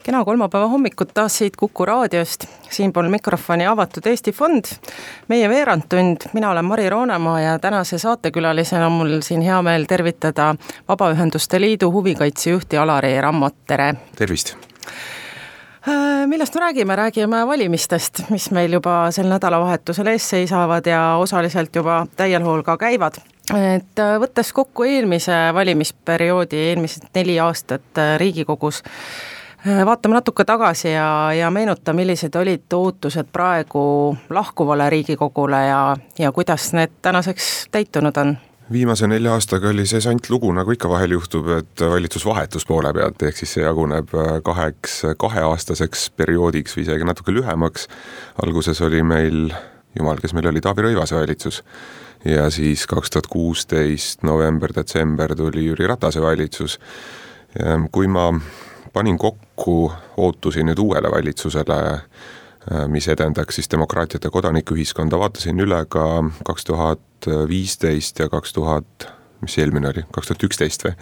Kena kolmapäeva hommikut taas siit Kuku raadiost, siinpool mikrofoni avatud Eesti Fond, meie veerandtund, mina olen Mari Roonemaa ja tänase saatekülalisena on mul siin hea meel tervitada Vabaühenduste Liidu huvikaitsejuhti Alari Rammot, tere! Tervist! Millest me räägime? Räägime valimistest, mis meil juba sel nädalavahetusel ees seisavad ja osaliselt juba täiel hool ka käivad. Et võttes kokku eelmise valimisperioodi, eelmised 4 aastat Riigikogus, vaatame natuke tagasi ja meenuta, millised olid ootused praegu lahkuvale Riigikogule ja kuidas need tänaseks täitunud on? Viimase 4 aastaga oli see lugu, nagu ikka vahel juhtub, et valitsusvahetus poole pealt, ehk siis see jaguneb 2-aastaseks perioodiks või isegi natuke lühemaks. Alguses oli meil, kes meil oli, Taavi Rõivase valitsus ja siis 2016 november-detsember tuli Jüri Ratase valitsus. Kui ma panin kokku ootusi nüüd uuele valitsusele, mis edendaks siis demokraatiat ja kodanikuühiskonda, vaatasin üle ka 2015 ja 2011 või?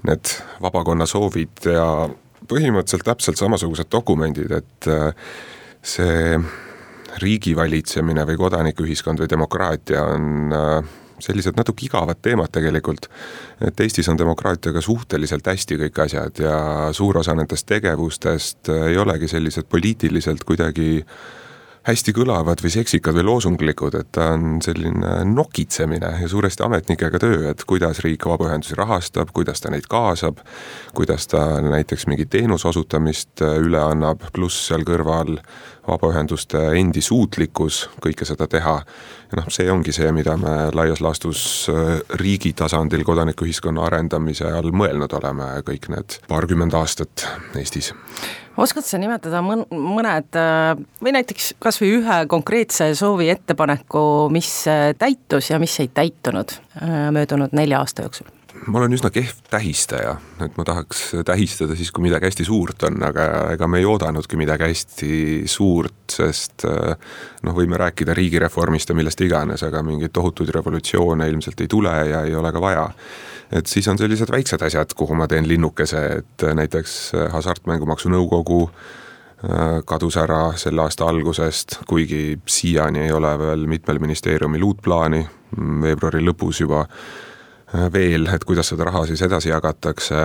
Need vabakonna soovid ja põhimõtteliselt täpselt samasugused dokumendid, et see riigivalitsemine või kodanikuühiskond või demokraatia on sellised natuke igavad teemad tegelikult, et Eestis on demokraatiaga suhteliselt hästi kõik asjad ja suur osa nendest tegevustest ei olegi sellised poliitiliselt kuidagi hästi kõlavad või seksikad või loosunglikud, et ta on selline nokitsemine ja suuresti ametnikega töö, et kuidas riik vabaühendusi rahastab, kuidas ta neid kaasab, kuidas ta näiteks mingi teenuse osutamist üle annab, pluss seal kõrval vabaühenduste endi suutlikkus kõike seda teha. Ja see ongi see, mida me laias laastus riigi tasandil kodanikuühiskonna arendamise all mõelnud oleme kõik need 20 aastat Eestis. Oskad sa nimetada mõned või näiteks kas või ühe konkreetse soovi ettepaneku, mis täitus ja mis ei täitunud möödunud 4 aasta jooksul? Ma olen üsna kehv tähistaja, et ma tahaks tähistada siis, kui midagi hästi suurt on, aga ega me ei oodanudki midagi hästi suurt, sest võime rääkida riigireformist ja millest iganes, aga mingeid tohutuid revolutsioone ilmselt ei tule ja ei ole ka vaja. Et siis on sellised väiksed asjad, kuhu ma teen linnukese, et näiteks Hasartmängumaksu Nõukogu kadus ära selle aasta algusest, kuigi siiani ei ole veel mitmel ministeeriumil uut plaani, veebruari lõpus juba veel, et kuidas seda raha siis edasi jagatakse.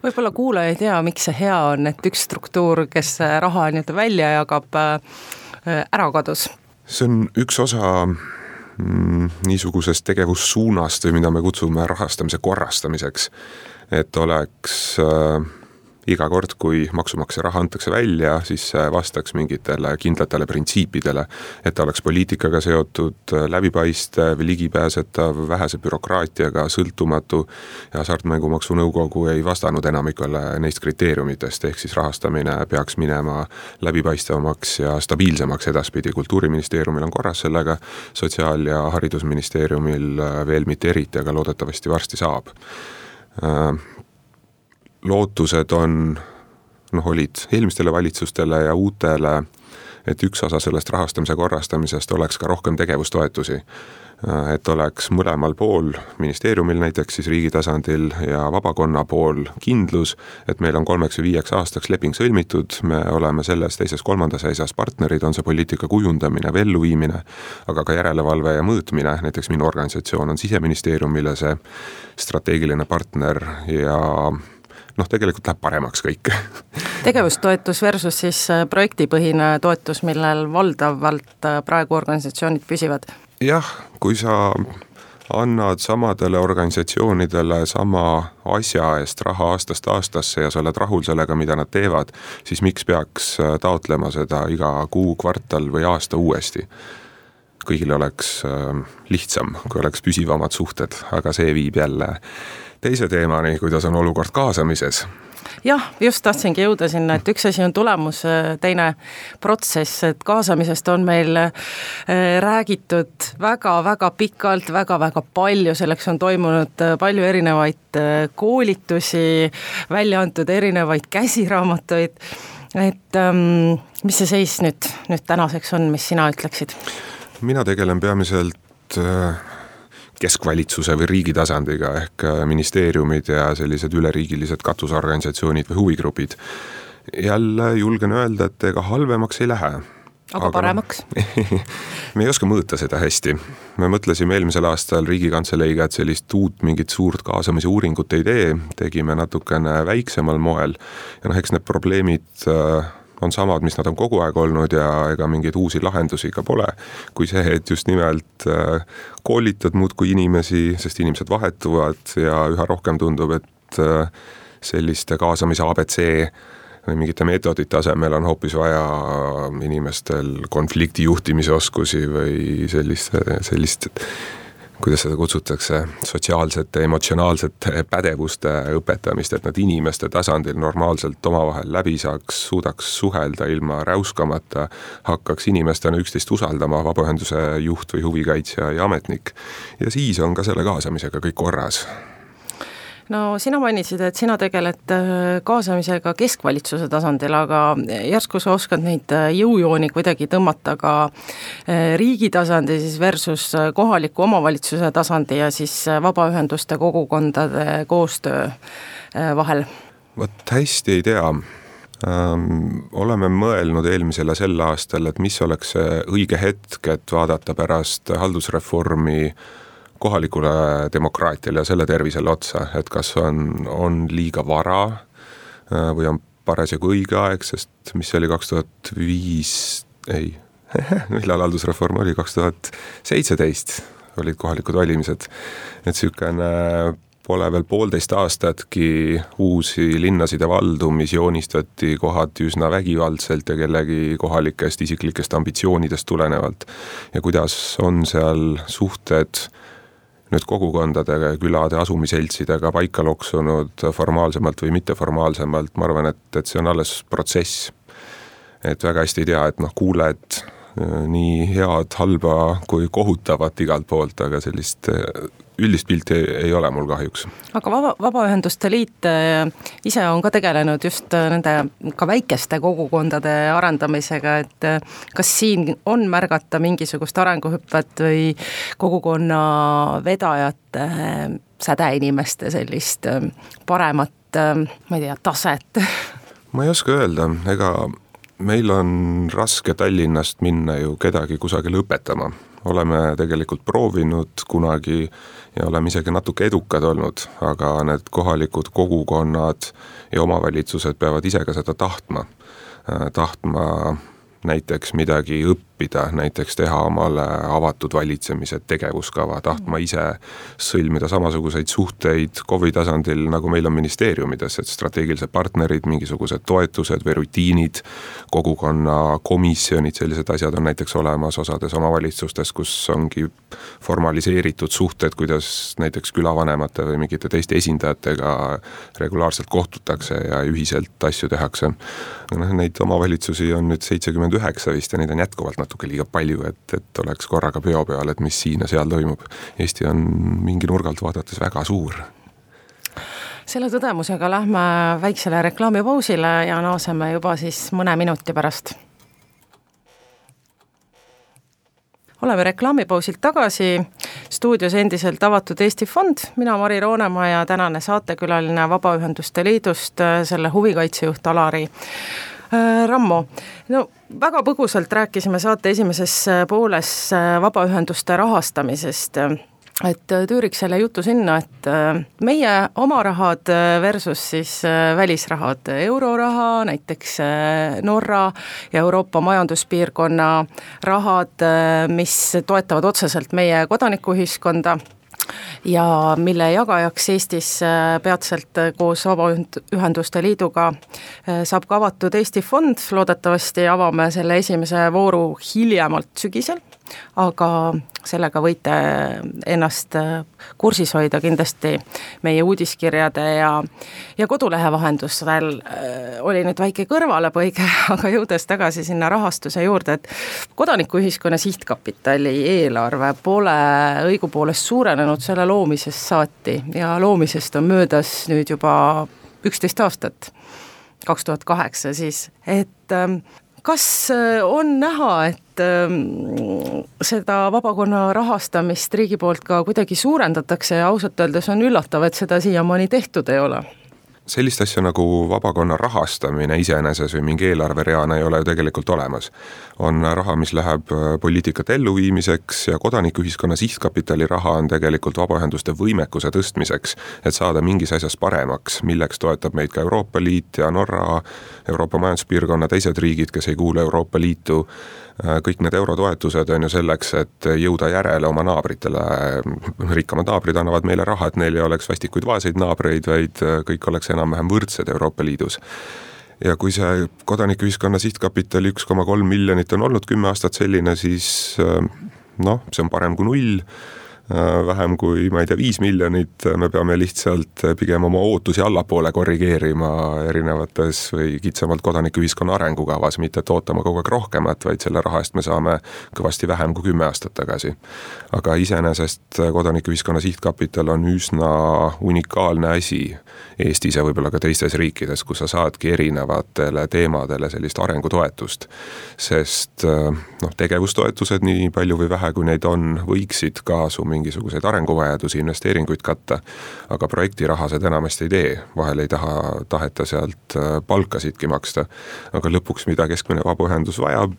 Võib-olla kuulaja ei tea, miks see hea on, et üks struktuur, kes raha välja jagab, ära kadus. See on üks osa niisugusest tegevussuunast või mida me kutsume rahastamise korrastamiseks, et oleks iga kord, kui maksumaksja raha antakse välja, siis vastaks mingitele kindlatele printsiipidele, et ta oleks poliitikaga seotud, läbipaistev, ligipääsetav, vähese bürokraatiaga, sõltumatu ja Hasartmängumaksu Nõukogu ei vastanud enamikule neist kriteeriumitest, ehk siis rahastamine peaks minema läbipaistvamaks ja stabiilsemaks edaspidi. Kultuuriministeeriumil on korras sellega, Sotsiaal- ja Haridusministeeriumil veel mitte eriti, aga loodetavasti varsti saab. Lootused olid eelmistele valitsustele ja uutele, et üks osa sellest rahastamise korrastamisest oleks ka rohkem tegevustoetusi. Et oleks mõlemal pool, ministeeriumil näiteks siis riigi tasandil ja vabakonna pool kindlus, et meil on 3 või 5 aastaks leping sõlmitud, me oleme selles teises 3. seisas partnerid, on see poliitika kujundamine või elluviimine, aga ka järelevalve ja mõõtmine, näiteks minu organisatsioon on Siseministeeriumile see strateegiline partner ja tegelikult läheb paremaks kõik. Tegevustoetus versus siis projektipõhine toetus, millel valdavalt praegu organisatsioonid püsivad? Jah, kui sa annad samadele organisatsioonidele sama asja eest raha aastast aastasse ja sa oled rahul sellega, mida nad teevad, siis miks peaks taotlema seda iga kuu, kvartal või aasta uuesti? Kõigil oleks lihtsam, kui oleks püsivamad suhted, aga see viib jälle teise teemani, kuidas on olukord kaasamises. Jah, just tahtsingi jõuda sinna, et üks asi on tulemus, teine protsess, et kaasamisest on meil räägitud väga-väga pikalt, väga-väga palju, selleks on toimunud palju erinevaid koolitusi, välja antud erinevaid käsiraamatuid, et mis see seis nüüd tänaseks on, mis sina ütleksid? Mina tegelen peamiselt keskvalitsuse või riigi tasandiga ehk ministeeriumid ja sellised üleriigilised katusorganisatsioonid või huvigrupid. jälle julgen öelda, et ega halvemaks ei lähe. Aga paremaks? Me ei oska mõõta seda hästi. Me mõtlesime eelmisel aastal Riigikantseleiga, et sellist uut mingit suurt kaasamise uuringut ei tee, tegime natukene väiksemal moel ja eks need probleemid on samad, mis nad on kogu aeg olnud ja ega mingeid uusi lahendusi ka pole, kui see, et just nimelt koolitad muudkui inimesi, sest inimesed vahetuvad ja üha rohkem tundub, et selliste kaasamise ABC või mingite meetodite asemel on hoopis vaja inimestel konflikti juhtimise oskusi või sellist, kuidas seda kutsutakse, sotsiaalsete, emotsionaalsete pädevuste õpetamist, et nad inimeste tasandil normaalselt omavahel läbi saaks, suudaks suhelda ilma räuskamata, hakkaks inimestena üksteist usaldama, vabaühenduse juht või huvikaitsja ja ametnik. Ja siis on ka selle kaasamisega kõik korras. No sina mainisid, et sina tegeled kaasamisega keskvalitsuse tasandil, aga järsku sa oskad neid jõujooni kuidagi tõmmata ka riigi tasandi siis versus kohaliku omavalitsuse tasandi ja siis vabaühenduste kogukondade koostöö vahel? Vot hästi ei tea. Oleme mõelnud eelmisel ja sel aastal, et mis oleks see õige hetk, et vaadata pärast haldusreformi kohalikule demokraatiale ja selle tervisele otsa, et kas on liiga vara või on parasjagu õige aeg, sest mis oli 2005, millal haldusreform oli, 2017 olid kohalikud valimised, et sükene pole veel 1,5 aastatki uusi linnasid ja valdu, mis joonistati kohati üsna vägivaldselt ja kellegi kohalikest isiklikest ambitsioonidest tulenevalt ja kuidas on seal suhted nüüd kogukondadega ja külade asumiseltsidega paika loksunud formaalsemalt või mitteformaalsemalt, ma arvan, et see on alles protsess. Et väga hästi ei tea, et kuuled nii head, halba kui kohutavat igalt poolt, aga sellist üldist pilti ei ole mul kahjuks. Aga Vabaühenduste Liit ise on ka tegelenud just nende ka väikeste kogukondade arendamisega, et kas siin on märgata mingisugust arenguhüpet või kogukonna vedajate, sädeinimeste sellist paremat, ma ei tea, taset? Ma ei oska öelda, ega meil on raske Tallinnast minna ju kedagi kusagil õpetama. Oleme tegelikult proovinud kunagi ja oleme isegi natuke edukad olnud, aga need kohalikud kogukonnad ja omavalitsused peavad ise ka seda tahtma näiteks midagi õppida, näiteks teha omale avatud valitsemise tegevuskava, tahtma ise sõlmida samasuguseid suhteid KOV-i tasandil, nagu meil on ministeeriumides, et strateegilised partnerid, mingisugused toetused või rutiinid, kogukonna komisjonid, sellised asjad on näiteks olemas osades omavalitsustes, kus ongi formaliseeritud suhted, kuidas näiteks külavanemate või mingite teiste esindajatega regulaarselt kohtutakse ja ühiselt asju tehakse. Neid omavalitsusi on nüüd 79 vist ja neid on jätkuvalt natuke liiga palju, et oleks korraga peo peal, et mis siin ja seal toimub. Eesti on mingi nurgalt vaadates väga suur. Selle tõdemusega lähme väiksele reklaamipausile ja naaseme juba siis mõne minuti pärast. Oleme reklaamipausilt tagasi, stuudios endiselt avatud Eesti Fond, mina Mari Roonemaa ja tänane saatekülaline Vabaühenduste Liidust, selle huvikaitsejuht Alari Rammo. No, väga põgusalt rääkisime saate esimeses pooles vabaühenduste rahastamisest, et tüüriks selle jutu sinna, et meie oma rahad versus siis välisrahad, euroraha, näiteks Norra ja Euroopa majanduspiirkonna rahad, mis toetavad otseselt meie kodanikuühiskonda ja mille jagajaks Eestis peatselt koos Vabaühenduste Liiduga saab ka avatud Eesti Fond, loodetavasti avame selle esimese vooru hiljemalt sügisel, aga sellega võite ennast kursis hoida kindlasti meie uudiskirjade ja kodulehe vahendusel. Oli nüüd väike kõrvalepõige, aga jõudes tagasi sinna rahastuse juurde, et kodanikuühiskonna sihtkapitali eelarve pole õigupoolest suurenenud selle loomisest saati ja loomisest on möödas nüüd juba 11 aastat, 2008 siis, et kas on näha, et seda vabakonna rahastamist riigi poolt ka kuidagi suurendatakse ja ausalt öeldes on üllatav, et seda siiamaani tehtud ei ole? sellist asja nagu vabakonna rahastamine iseeneses või mingi eelarvereana ei ole ju tegelikult olemas. On raha, mis läheb poliitikat elluviimiseks ja kodanikuühiskonna sihtkapitali raha on tegelikult vabaühenduste võimekuse tõstmiseks, et saada mingis asjas paremaks, milleks toetab meid ka Euroopa Liit ja Norra, Euroopa Majanduspiirkonna teised riigid, kes ei kuule Euroopa Liitu. Kõik need eurotoetused on ju selleks, et jõuda järele oma naabritele. Rikkamad naabrid annavad meile raha, et neil ei oleks vastikuid vaeseid naabreid, vaid kõik oleks enam-vähem võrdsed Euroopa Liidus. Ja kui see kodanikuühiskonna sihtkapitali 1,3 miljonit on olnud 10 aastat selline, siis see on parem kui 0. Vähem kui, 5 miljonit, me peame lihtsalt pigem oma ootusi allapoole korrigeerima erinevates või kitsamalt kodanikuühiskonna arengukavas, mitte et ootama kogu aeg rohkemat, vaid selle raha eest me saame kõvasti vähem kui 10 aastat tagasi. Aga iseenesest kodanikuühiskonna sihtkapital on üsna unikaalne asi Eestis ja võib-olla ka teistes riikides, kus sa saadki erinevatele teemadele sellist arengutoetust. Sest tegevustoetused, nii palju või vähe kui neid on, võiksid kaasu mingisuguseid arenguvajadusi, investeeringuid katta, aga projektirahased enamasti ei tee, vahel ei taheta sealt palkasidki maksta, aga lõpuks mida keskmine vabaühendus vajab,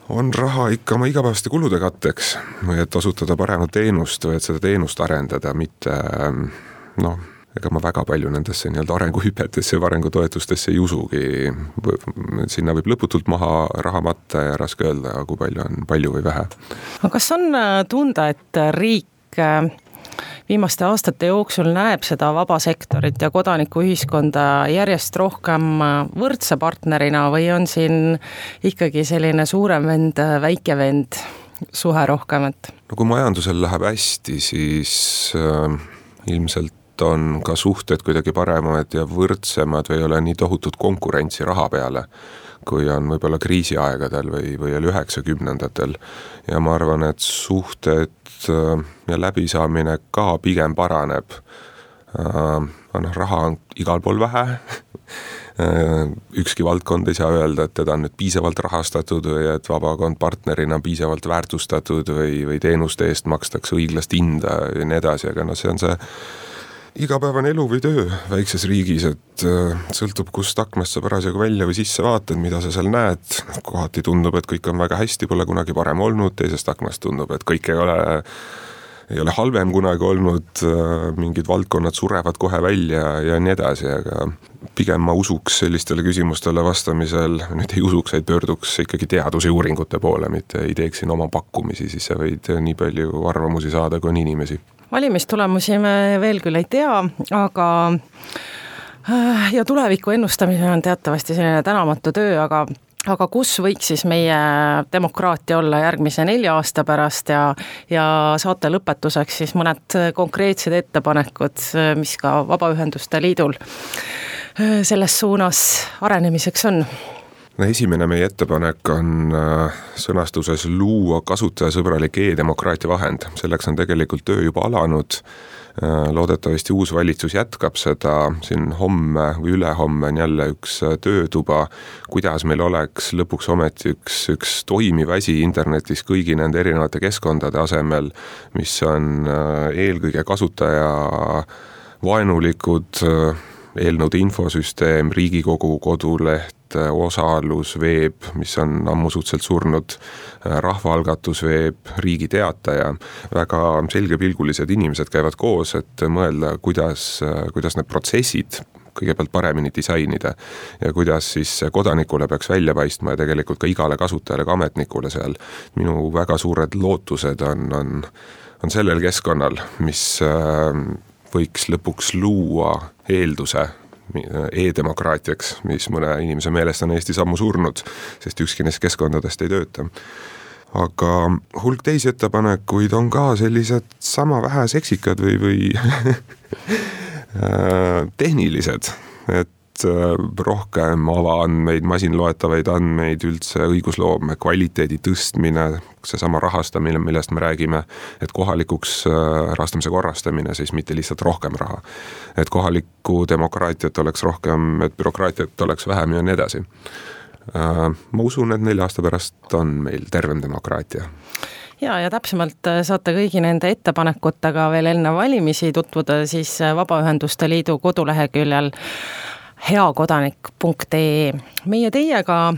on raha ikka oma igapäevaste kulude katteks või et osutada paremat teenust või et seda teenust arendada, mitte ega ma väga palju nendesse arenguhüpetesse ja arengutoetustesse ei usugi. Sinna võib lõputult maha raha matta ja raske öelda, kui palju on palju või vähe. Aga kas on tunda, et riik viimaste aastate jooksul näeb seda vabasektorit ja kodanikuühiskonda järjest rohkem võrdse partnerina või on siin ikkagi selline suurem vend, väike vend suhe rohkem? Kui majandusel läheb hästi, siis ilmselt on ka suhted kuidagi paremad ja võrdsemad või ei ole nii tohutut konkurentsi raha peale, kui on võib-olla kriisiaegadel või 90-ndatel. Ja ma arvan, et suhted ja läbisaamine ka pigem paraneb. Raha on igal pool vähe. Ükski valdkond ei saa öelda, et teda on nüüd piisavalt rahastatud või et vabakond partnerina on piisavalt väärtustatud või teenuste eest makstakse õiglast hinda ja nii edasi, aga see on see igapäevane elu või töö väikses riigis, et sõltub, kust aknast sa parasjagu välja või sisse vaatad, mida sa seal näed. Kohati tundub, et kõik on väga hästi, pole kunagi parem olnud, teisest aknast tundub, et kõik ei ole halvem kunagi olnud, mingid valdkonnad surevad kohe välja ja nii edasi, aga pigem ma usuks sellistele küsimustele vastamisel, nüüd ei usuks, et pöörduks ikkagi teaduse uuringute poole, mitte ei teeks siin oma pakkumisi, siis sa võid nii palju arvamusi saada, kui on inimesi. Valimistulemusi me veel küll ei tea, aga ja tuleviku ennustamine on teatavasti selline tänamatu töö, aga kus võiks siis meie demokraatia olla järgmise 4 aasta pärast ja saate lõpetuseks siis mõned konkreetsed ettepanekud, mis ka Vabaühenduste Liidul selles suunas arenemiseks on? Esimene meie ettepanek on sõnastuses luua kasutajasõbralik e-demokraatia vahend. Selleks on tegelikult töö juba alanud. Loodetavasti uus valitsus jätkab seda. Siin homme või ülehomme on jälle üks töötuba, kuidas meil oleks lõpuks ometi üks toimiv asi internetis kõigi nende erinevate keskkondade asemel, mis on eelkõige kasutaja vaenulikud, eelnõude infosüsteem, Riigikogu koduleht, osalus, veeb, mis on ammu suhteliselt surnud, rahvaalgatus, veeb, Riigi Teataja. Väga selgepilgulised inimesed käivad koos, et mõelda, kuidas need protsessid kõigepealt paremini disainida ja kuidas siis kodanikule peaks välja paistma ja tegelikult ka igale kasutajale, ka ametnikule seal. Minu väga suured lootused on sellel keskkonnal, mis võiks lõpuks luua eelduse e-demokraatiaks, mis mõne inimese meelest on Eestis ammu surnud, sest ükski neist keskkondadest ei tööta. Aga hulk teisi ettepanekuid on ka sellised sama vähe seksikad või tehnilised, et rohkem avaandmeid, masinloetavaid andmeid, üldse õigusloome kvaliteedi tõstmine, seesama rahastamine, millest me räägime, et kohalikuks rahastamise korrastamine, siis mitte lihtsalt rohkem raha. Et kohalikku demokraatiat oleks rohkem, et bürokraatiat oleks vähem ja nii edasi. Ma usun, et 4 aasta pärast on meil tervem demokraatia. ja täpsemalt saate kõigi nende ettepanekutega veel enne valimisi tutvuda siis Vabaühenduste Liidu koduleheküljel heakodanik.ee. Meie teiega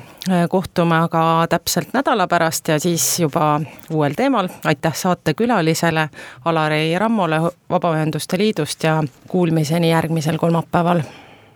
kohtume aga täpselt nädala pärast ja siis juba uuel teemal. Aitäh saatekülalisele Alari Rammole Vabaühenduste Liidust ja kuulmiseni järgmisel kolmapäeval.